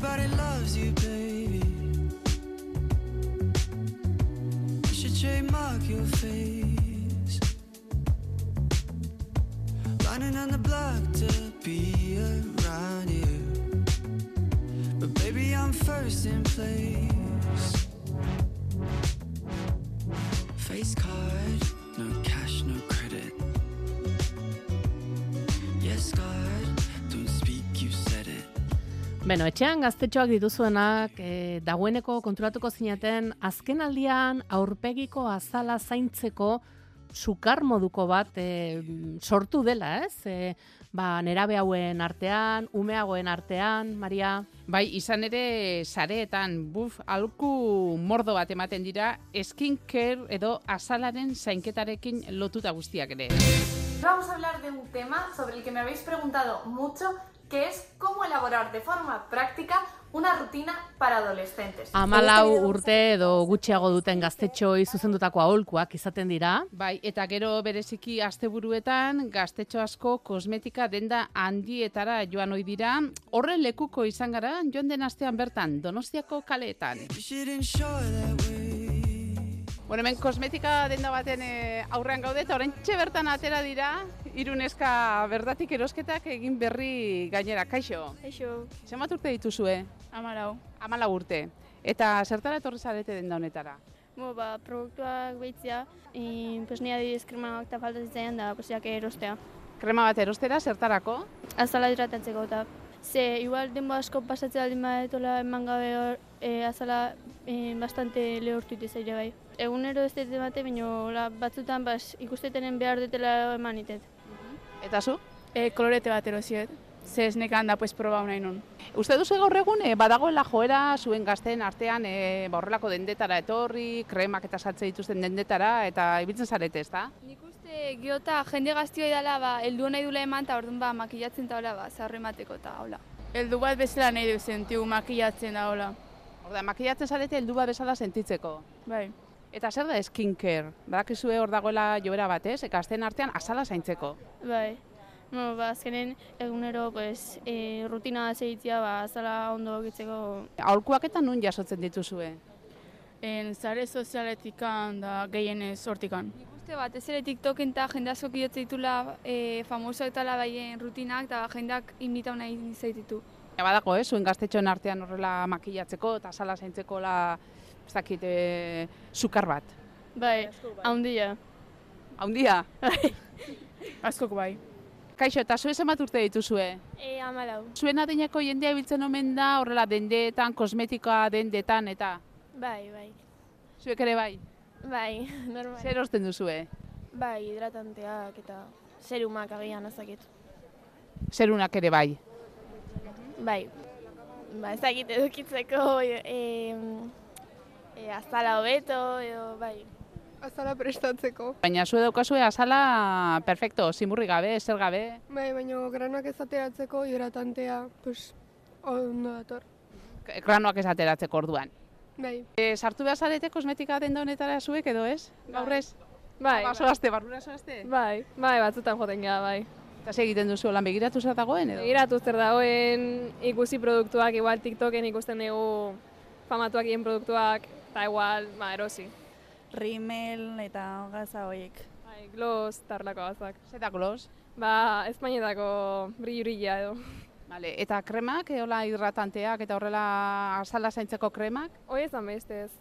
Everybody loves you, baby. You should trademark your face. Running on the block to be around you. But baby, I'm first in place. Face card, no cash, no credit. Yes, God, don't speak, you said it. Beno, etxean gaztetxoak dituzuenak, dagoeneko konturatuko zineten, azken aldian aurpegiko azala zaintzeko sukar moduko bat sortu dela, ez? Nerabe hauen artean, umeagoen artean, Maria? Bai, izan ere sareetan, aholku mordo bat ematen dira, skincare edo azalaren zainketarekin lotuta guztiak ere. Vamos a hablar de un tema sobre el que me habéis preguntado mucho, que es cómo elaborar de forma práctica una rutina para adolescentes. 14 urte edo gutxiago duten gaztetxoi zuzendutako aholkuak izaten dira. Bai, eta gero bereziki asteburuetan gaztetxo asko kosmetika denda handietara joan ohi dira. Horren lekuko izan gara joan den astean bertan Donostiako kaleetan. She didn't show that way. Bueno, hemen kosmetika denda baten aurrean gaude eta oraintxe bertan atera dira hiru neska bertatik erosketak egin berri gainera. Kaixo. Kaixo. Zenbat urte dituzue? 14. 14 urte. Eta zertara etorri zarete denda honetara? Produktuak behitzea, pues nire adibidez kremaak eta falta zitzaian da, posiak erostea. Krema bat erostera zertarako? Azala hidratatzeko eta. Igual denbo asko pasatzea aldin badetola eman gabe azala bastante lehortu itezaire bai. Egunero ez dut emate, baina batzutan ikustetenen behar dutela eman itet. Eta zu? Kolorete bat erosiet. Ze esnekan da proba nahi nun. Uste duzu gaur egun badagoela joera zuen gazteen artean horrelako dendetara etorri, kremak eta saltze dituzten dendetara eta ibiltzen zarete, ezta? Nik uste giota jende gaztioa idala heldu nahi dula eman eta orduan makillatzen da hola zaharro emateko eta hola. Heldu bat bezala nahi du sentiu makillatzen da hola. Orda, makillatzen zarete heldu bat bezala sentitzeko. Bai. Eta zer da skincare? Badakizue hor dagoela joera batez, gazteen artean azala zaintzeko. Bai. Azkenen egunero rutina segitzea azala ondo egitzeko. Aholkuak eta nun jasotzen dituzue? Sare sozialetikan da gehienez hortikan. Nik uste batez ere TikToken eta jende asko kidotze ditula famoso eta labaien rutinak eta jendeak imitau nahi zaititu. Badago, zuen gaztetxoen artean horrela makillatzeko eta azala zaintzeko ez dakit, sukar bat. Bai, haundia. Haundia? Askok bai. Kaixo, eta zuen zenbat urte dituzue? 14. Zuen adineko jendea biltzen omen da horrela dendetan, kosmetikoa dendetan eta? Bai. Zuek ere bai? Bai, normal. Zer osten duzue? Bai, hidratanteak eta serumak agian ezakit. Zerunak ere bai? Bai, ezakit edukitzeko azala hobeto edo bai. Azala prestatzeko. Baina zu daukazue azala perfecto, zimurri gabe, zer gabe? Bai, baina granoak ez ateratzeko hidratantea, ondo dator. Granoak ez ateratzeko orduan. Bai. Sartu behar zarete kosmetika denda honetara zuek edo ez? Gaur ez? Bai. Barrura zoazte? Bai, batzutan joten gara, bai. Eta egiten duzu, lan begiratu zer dagoen edo? Begiratu zer dagoen, ikusi produktuak, igual TikToken ikusten dugu famatuak egin produktuak, eta igual, erosi. Rimel eta gaza horiek. Bai, gloss, tarlako gazak. Zeta gloss? Espainetako brillo-brilla edo. Vale, eta kremak, hola hidratanteak eta horrela azala zaintzeko kremak? Hoi ezan bestez.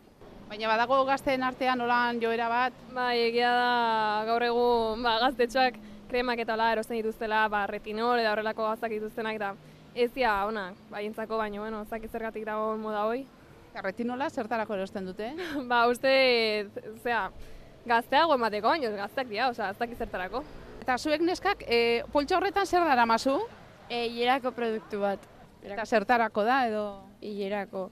Baina badago gazteen artean holan joera bat? Bai, egia da gaur egun gaztetxoak kremak eta hola erosten dituztela, retinol eta horrelako gazak dituztenak eta ez dira onak, baientzako baino, zaki zergatik dago moda hoi. Retinola zertarako erosten dute? Uste, gazteago emateko, baino gazteak dira, ez daki zertarako. Eta zuek neskak, poltsa horretan zer daramazu? Hilerako produktu bat. Eta zertarako da edo? Hilerako.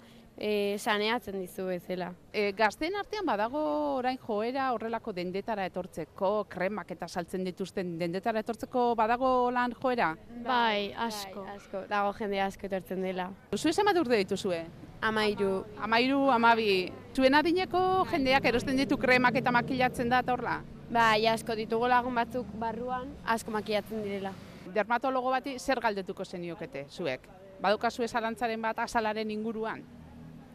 Saneatzen dizu bezala. Gazteen artean badago orain joera horrelako dendetara etortzeko, kremak eta saltzen dituzten dendetara etortzeko badago lan joera? Bai, asko. Dago jende asko etortzen dela. Zue zenbat urte dituzue? 13. 13, 12. Zuen adineko jendeak erosten ditu kremak eta makillatzen da eta horla? Bai, asko ditugu lagun batzuk barruan, asko makillatzen direla. Dermatologo bati zer galdetuko zeniokete, zuek? Badukazu zalantzaren bat azalaren inguruan?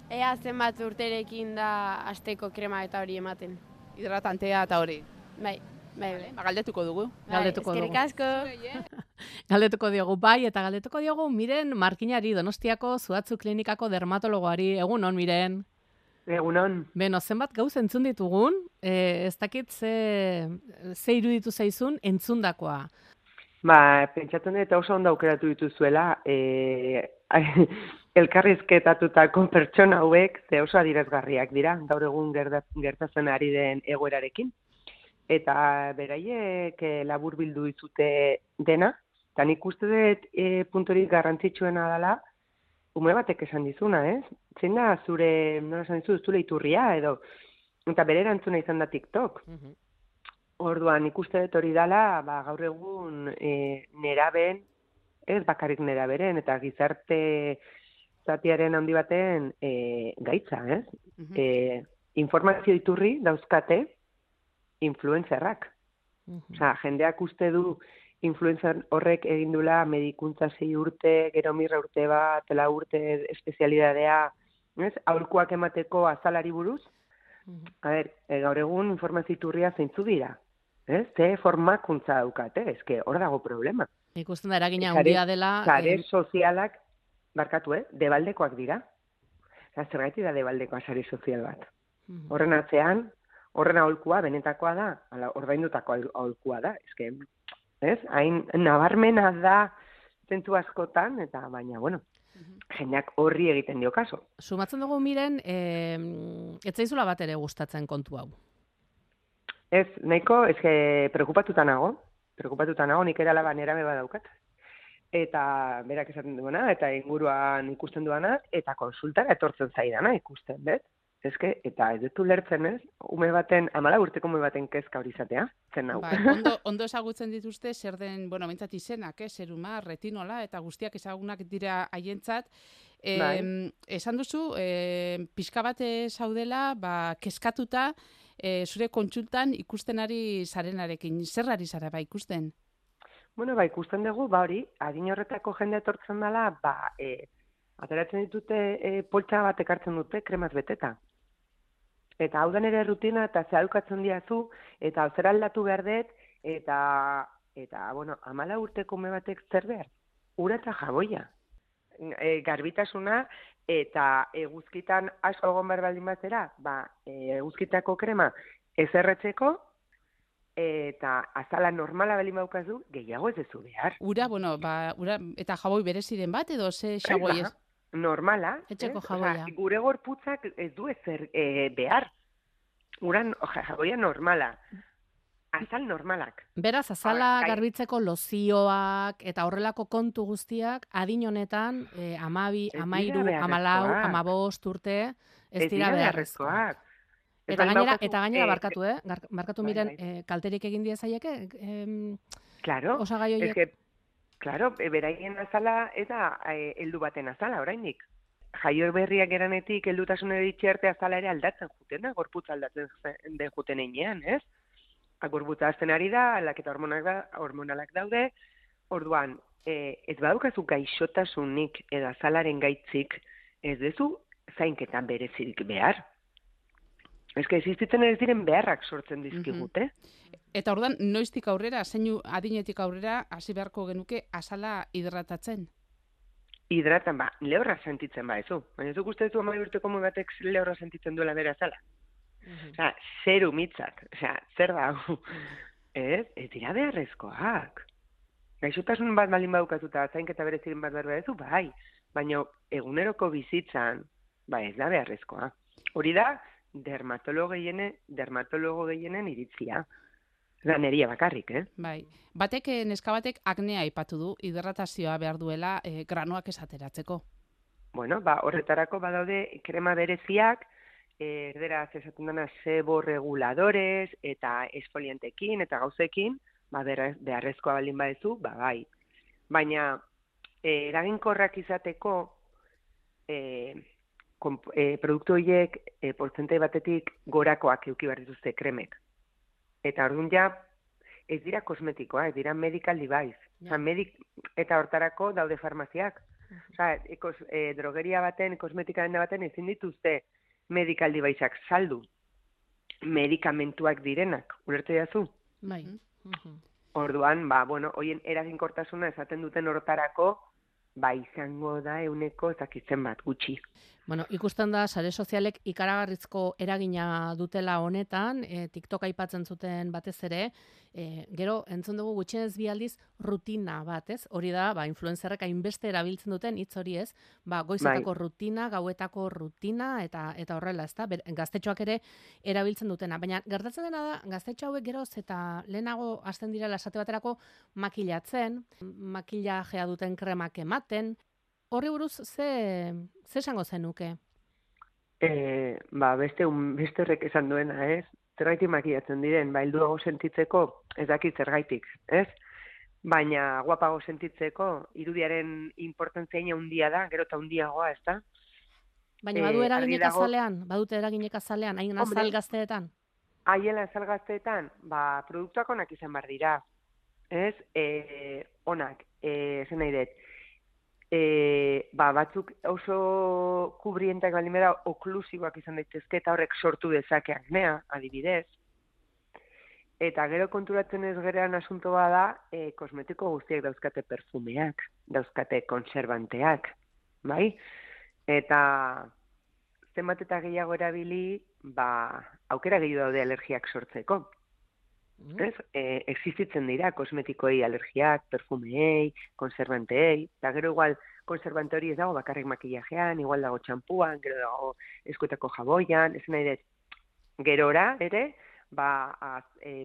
Ea zenbat urterekin da asteko krema eta hori ematen. Hidratantea eta hori. Bai. Galdetuko dugu. Eskerrik asko. Galdetuko diogu bai, eta galdetuko diogu Miren Markinari, Donostiako Zuhatzu Klinikako dermatologoari. Egunon, Miren. Egunon. Beno, zenbat gauz entzun ditugun, ez dakit ze iruditu zaizun entzundakoa. Pentsatzen dut oso ondo aukeratu dituzuela, elkarrizketatutako pertsona hauek ze oso adierazgarriak dira, gaur egun gertatzen ari den egoerarekin. Eta beraiek labur bildu dizute dena, eta nik uste dut puntorik garrantzitsuena dela, ume batek esan dizuna, ez? Zein da zure, nola esan dizu, zure iturria edo, eta bere erantzuna izan da TikTok. Orduan ikuste dut hori dela, gaur egun nerabeen, ez bakarrik neraberen, eta gizarte zatiaren handi baten gaitza, ez? Informazio iturri dauzkate influencerrak. Osea, jendeak uste du influencer horrek egin dula medikuntza 6 urte, gero 1 urte bat, 4 urte espezialidadea, ez? Aholkuak emateko azalari buruz. Gaur egun informazio iturria zeintzu dira. Ze formakuntza daukate, eske hor dago problema. Ikusten da eragina handia dela. Sare sozialak, barkatu, debaldekoak dira. Zergatik da debaldekoa sare sozial bat. Horren atzean, horren aholkua benetakoa da, ordaindutako aholkua da. Eske, ez? Hain nabarmena da zentzu askotan, eta baina, bueno, jendeak horri egiten dio kaso. Sumatzen dugu Miren, ez zaizula bat ere gustatzen kontu hau. Ez, nahiko, preokupatuta nago, nik ere alaba nerame badaukat. Eta berak esaten duena, eta inguruan ikusten duena, eta konsultara etortzen zaidana ikusten, bet? Eta ez dut ulertzen, ez? 14 urteko ume baten kezka hori izatea, zen hau. Ondo ezagutzen dituzte, zer den, mintzat izenak, seruma, retinola, eta guztiak ezagunak dira haientzat. Esan duzu, pixka bat zaudela, kezkatuta, zure kontsultan ikusten ari zarenarekin. Zer ari zara ikusten? Ikusten dugu, hori, adin horretako jende etortzen dela, ateratzen ditute poltsa bat ekartzen dute, kremaz beteta. Eta hau da nire rutina, eta zehadukatzen diazu, eta zer aldatu behar dut, eta 14 urteko ume batek zer behar? Ura eta jaboia. Garbitasuna, eta eguzkitan asko egon behar baldin batera, eguzkitako krema ez erretzeko, eta azala normala baldin baukazu, gehiago ez dezu behar. Ura, ura eta jaboi bereziren bat, edo ze jaboi ez? Normala. Etxeko jaboia. Gure gorputzak ez du ezer behar. Uran jaboia normala. Azal normalak. Beraz, azala garbitzeko lozioak eta horrelako kontu guztiak adin honetan 12, 13, 14, 15 urte ez dira beharrezkoak. Eta gainera barkatu Miren, kalterik egin diezaieke? Claro. Osagai horiek? Claro, beraien azala eta heldu baten azala, oraindik. Jaio berriak eranetik heldutasunera itxerte azala ere aldatzen juten da, gorputza aldatzen den juten einean, ez? Gorputza azten ari da, aldaketa hormonalak daude, orduan, ez badaukazu gaixotasunik edo azalaren gaitzik, ez dezu zainketan berezirik behar. Existitzen ez diren beharrak sortzen dizkigute. Eta orduan, noiztik aurrera, zeinu adinetik aurrera, hasi beharko genuke azala hidratatzen? Hidratan, lehorra sentitzen ezu. Baina ez duk uste duzu 12 urteko ume batek lehorra sentitzen duela bere azala. Zer umitzak, zer da hau. Ez dira beharrezkoak. Gaixotasun bat balin badukatuta, zainketa bereziren bat behar berezu, baina eguneroko bizitzan, ez da beharrezkoa. Hori da, dermatologo gehienen iritzia. Da neria bakarrik, neska batek aknea aipatu du, hidratazioa behar duela granuak esateratzeko. Horretarako badaude krema bereziak, erderaz esaten dena seboreguladores eta esfoliantekin eta gauzekin, beharrezkoa baldin badezu, bai. Baina eraginkorrak izateko produktu horiek portzentai batetik gorakoak eduki behar dituzte kremek. Eta orduan ez dira kosmetikoa, ez dira medical device. Eta hortarako daude farmaziak. Osea, drogeria baten, kosmetika denda baten ezin dituzte medikaldi baitzak saldu. Medikamentuak direnak, ulertu jazu? Bai. Orduan, hoien eraginkortasuna esaten duten horretarako, izango da euneko ezakitzen bat, gutxi. Bueno, ikusten da, sare sozialek ikaragarrizko eragina dutela honetan, TikTok aipatzen zuten batez ere, gero, entzun dugu gutxienez bi aldiz rutina bat, ez? Hori da, influencerrek hainbeste erabiltzen duten hitz hori ez, goizetako rutina, gauetako rutina, eta horrela, ez da, gaztetxoak ere erabiltzen dutena. Baina, gertatzen dena da, gaztetxo hauek geroz eta lehenago hasten direla esate baterako makilatzen, makillajea duten kremak ematen. Horri buruz, ze esango zenuke? Beste horrek esan duena, ez? Zergaitik makillatzen diren, helduago sentitzeko, ez dakit zergaitik, ez? Baina guapago sentitzeko, irudiaren importantzia handia da, gero eta handiagoa, ez da? Baina badu eraginek azalean? Badute eraginek azalean, hain azal gazteetan? Haien azal gazteetan, produktuak onak izan bar dira, ez? Onak, zen nahi dut. Batzuk oso kubrientak baldin bera oklusiboak izan daitezke eta horrek sortu dezake aknea, adibidez. Eta gero konturatzen ez gerean asuntoa da, kosmetiko guztiak dauzkate perfumeak, dauzkate konservanteak, bai? Eta zenbat eta gehiago erabili, aukera gehiago daude alergiak sortzeko. Existitzen dira kosmetikoei alergiak, perfumeei, konservanteei, eta gero igual konservante hori ez dago bakarrik makillajean, igual dago txampuan, gero dago eskuetako jaboian, ez nahi dut, gerora ere,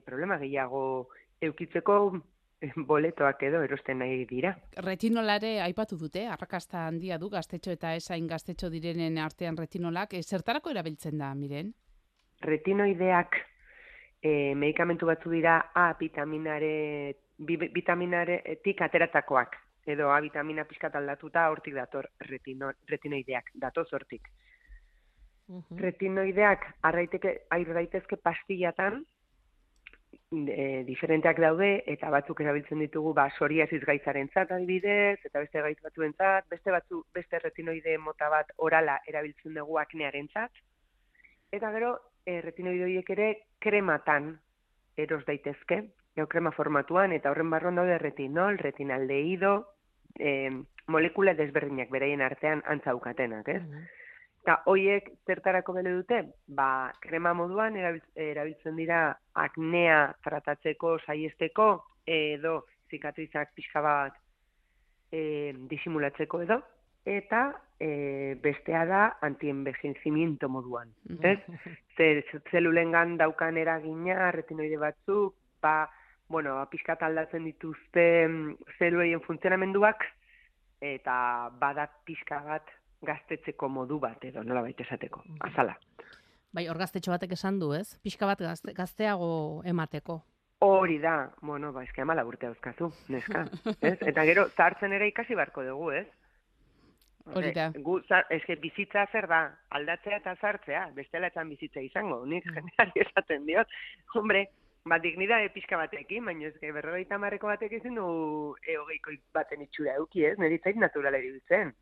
problema gehiago eukitzeko boletoak edo erosten nahi dira. Retinolare aipatu dute, arrakasta handia du gaztetxo eta esain gaztetxo direnen artean retinolak, zertarako erabiltzen da, Miren? Retinoideak medikamentu batzu dira A vitaminaretik ateratakoak, edo A vitamina pixkat aldatuta hortik dator retinoideak, datoz hortik. Retinoideak ar daitezke pastillatan, diferenteak daude, eta batzuk erabiltzen ditugu psoriasis gaitzarentzat adibidez, eta beste gaitz batzuentzat, beste retinoide mota bat orala erabiltzen dugu aknearentzat, eta gero retinoide horiek ere krematan eros daitezke, krema formatuan, eta horren barruan daude retinol, retinaldehído, molekula desberdinak beraien artean antzaukatenak, ez? Eta horiek zertarako bele dute? Krema moduan erabiltzen dira aknea tratatzeko, saiesteko, edo zikatrizak pixka bat disimulatzeko edo, eta bestea da antienvejecimiento moduan. Zelulengan daukan eragina, retinoide batzuk, pixkat aldatzen dituzte zelueien funtzionamenduak, eta bada pixka bat gaztetzeko modu bat edo, nola baita esateko, azala. Bai, hor gaztetxo batek esan du, ez? Pixka bat gazteago emateko. Hori da, eske 14 urte dauzkazu, neska, ez? Eta gero, zahartzen ere ikasi beharko dugu, ez? Hori da. Eske bizitza zer da, aldatzea eta zartzea, bestela etzan bizitza izango, nik generali esaten diot. Hombre, dignidade pixka batekin, baina eske 50 batek ezin du 20 baten itxura eduki, ez? Nire zait naturala iruditzen.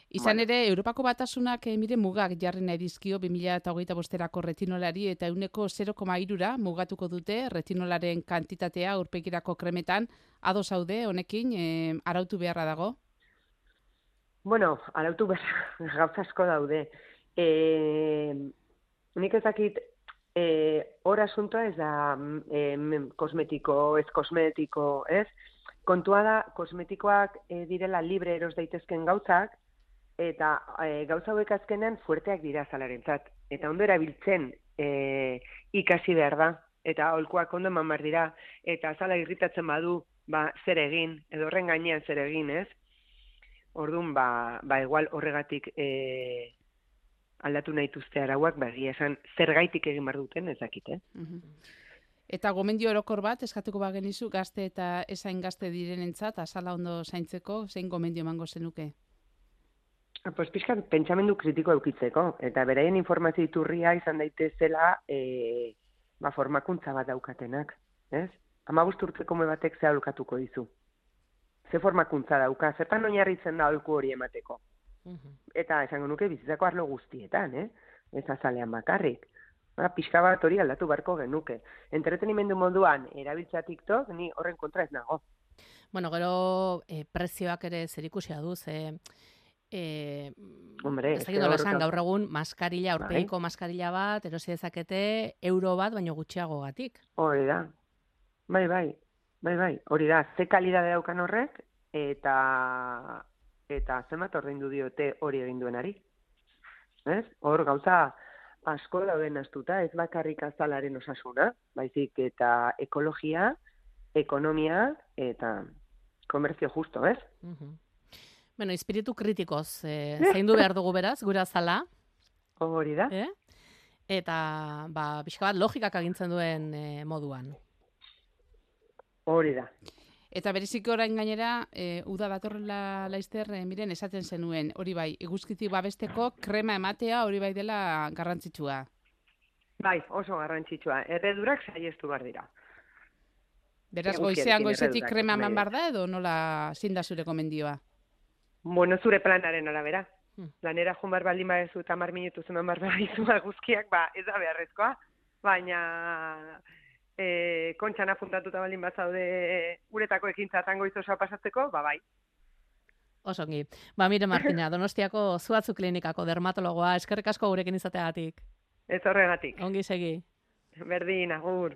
Izan ere, Europako Batasunak mugak jarri nahi dizkio 2025erako retinolari eta 0,3ra mugatuko dute retinolaren kantitatea aurpegirako kremetan. Ados zaude honekin arautu beharra dago? Arautu beharra gauza asko daude. Nik ezakit hor asuntoa ez da kosmetiko, ez kosmetiko, ez? Kontua da, kosmetikoak direla libre eros daitezken gauzak, eta gauza hauek azkenean fuerteak dira azalarentzat. Eta ondo erabiltzen ikasi behar da, eta aholkuak ondo eman behar dira, eta azala irritatzen badu, zer egin, edo horren gainean zer egin, ez? Orduan, igual horregatik aldatu nahi duzte arauak, esan zergaitik egin behar duten, ez dakit, Eta gomendio orokor bat, eskatuko bagenizu, gazte eta esain gazte direnentzat, azala ondo zaintzeko, zein gomendio emango zenuke? Pixkan, pentsamendu kritiko eukitzeko, eta beraien informazio iturria izan daitezela formakuntza bat daukatenak, ez? 15 urteko ume batek ze aholkatuko dizu. ze formakuntza dauka, zertan oinarritzen da aholku hori emateko. Eta esango nuke bizitzako arlo guztietan, ez azalean bakarrik. Pixka bat hori aldatu beharko genuke. Entretenimendu moduan erabiltza TikTok, ni horren kontra ez nago. Bueno, gero prezioak ere zerikusia du, Hombre, ez dakit nola esan, gaur egun maskarilla, aurpegiko maskarilla bat, erosi dezakete euro bat, baino gutxiagogatik. Hori da. Bai. Hori da, ze kalidade daukan horrek, eta zenbat ordaindu diote hori egin duenari. Ez? Hor gauza asko dauden astuta, ez bakarrik azalaren osasuna, baizik eta ekologia, ekonomia eta komertzio justo, ez? Bueno, espiritu kritikoz zaindu behar dugu beraz, gure azala. Hori da. Eta, pixka bat logikak agintzen duen moduan. Hori da. Eta bereziko orain gainera, uda datorrela laizter, miren, esaten zenuen, hori bai, eguzkitik babesteko krema ematea hori bai dela garrantzitsua. Bai, oso garrantzitsua. Erredurak saiestu behar dira. Beraz, goizetik krema eman behar da, edo nola zein da zure gomendioa? Bueno, zure planaren arabera. Planera joan behar baldin badezu eta 10 minutu zeman behar badizu guzkiak, ez da beharrezkoa. Baina kontxan apuntatuta baldin bat zaude uretako ekintzatan goizosoa pasatzeko, bai. Osongi. Mire Martina, Donostiako Zuatzu Klinikako dermatologoa, eskerrik asko gurekin izateagatik. Ez horregatik. Ongi segi. Berdin, agur.